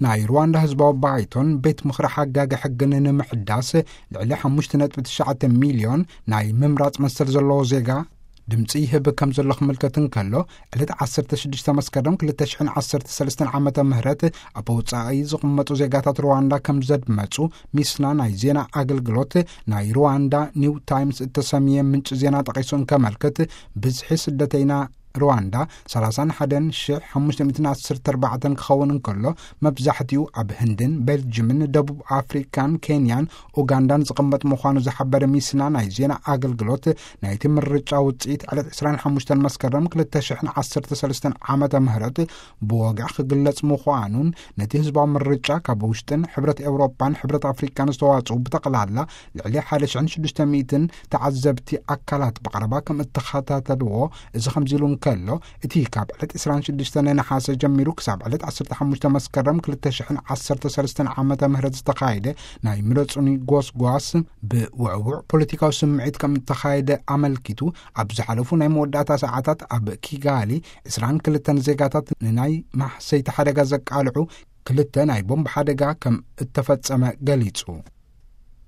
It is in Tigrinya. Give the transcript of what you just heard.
ናይ ሩዋንዳ ህዝባዊ ባይቶን ቤት ምኽሪ ሓጋጊ ሕግን ንምሕዳስ ልዕሊ ሓሙሽተ ነጥቢ ትሽዓተ ሚልዮን ናይ ምምራጽ መሰል ዘለዎ ዜጋ ድምፂ ይህብ ከም ዘሎ ክምልከት እንከሎ፣ ዕለት ዓሰርተ ሽዱሽተ መስከረም ክልተ ሽሕን ዓሰርተ ሰለስተን ዓመተ ምህረት ኣብ ወፃኢ ዝቕመጡ ዜጋታት ሩዋንዳ ከም ዘድመፁ ሚስና ናይ ዜና ኣገልግሎት ናይ ሩዋንዳ ኒው ታይምስ እተሰምየ ምንጭ ዜና ጠቒሱ እንከመልክት፣ ብዝሒ ስደተይና ሩዋንዳ ሰላሳን ሓደን ሽሕ ሓሙሽተ ሚእትን ዓሰርተ ኣርባዕተን ክኸውን እንከሎ፣ መብዛሕትኡ ኣብ ህንድን ቤልጅምን ደቡብ ኣፍሪካን ኬንያን ኡጋንዳን ዝቕመጥ ምዃኑ ዝሓበረ ሚስና ናይ ዜና ኣገልግሎት፣ ናይቲ ምርጫ ውፅኢት ዕለት ዕስራን ሓሙሽተን መስከረም ክልተ ሽሕን ዓሰርተ ሰለስተን ዓመተ ምህረት ብወግዒ ክግለጽ ምዃኑን፣ ነቲ ህዝባዊ ምርጫ ካብ ውሽጥን ሕብረት ኤውሮጳን ሕብረት ኣፍሪካን ዝተዋጽኡ ብጠቕላላ ልዕሊ ሓደ ሽሕን ሽዱሽተ ሚእትን ተዓዘብቲ ኣካላት ብቐረባ ከም እተኸታተልዎ፣ እዚ ከምዚ ኢሉ እንከሎ፣ እቲ ካብ ዕለት ዕስራን ሽዱሽተን ነሓሰ ጀሚሩ ክሳብ ዕለት ዓሰርተ ሓሙሽተ መስከረም ክልተ ሽሕን ዓሰርተ ሰለስተን ዓመተ ምህረት ዝተኻየደ ናይ ምረጹኒ ጎስጓስ ብውዕውዕ ፖለቲካዊ ስምዒት ከም እተኻየደ ኣመልኪቱ፣ ኣብ ዝሓለፉ ናይ መወዳእታ ሰዓታት ኣብ ኪጋሊ ዕስራን ክልተን ዜጋታት ንናይ ማሕሰይቲ ሓደጋ ዘቃልዑ ክልተ ናይ ቦምብ ሓደጋ ከም እተፈጸመ ገሊጹ።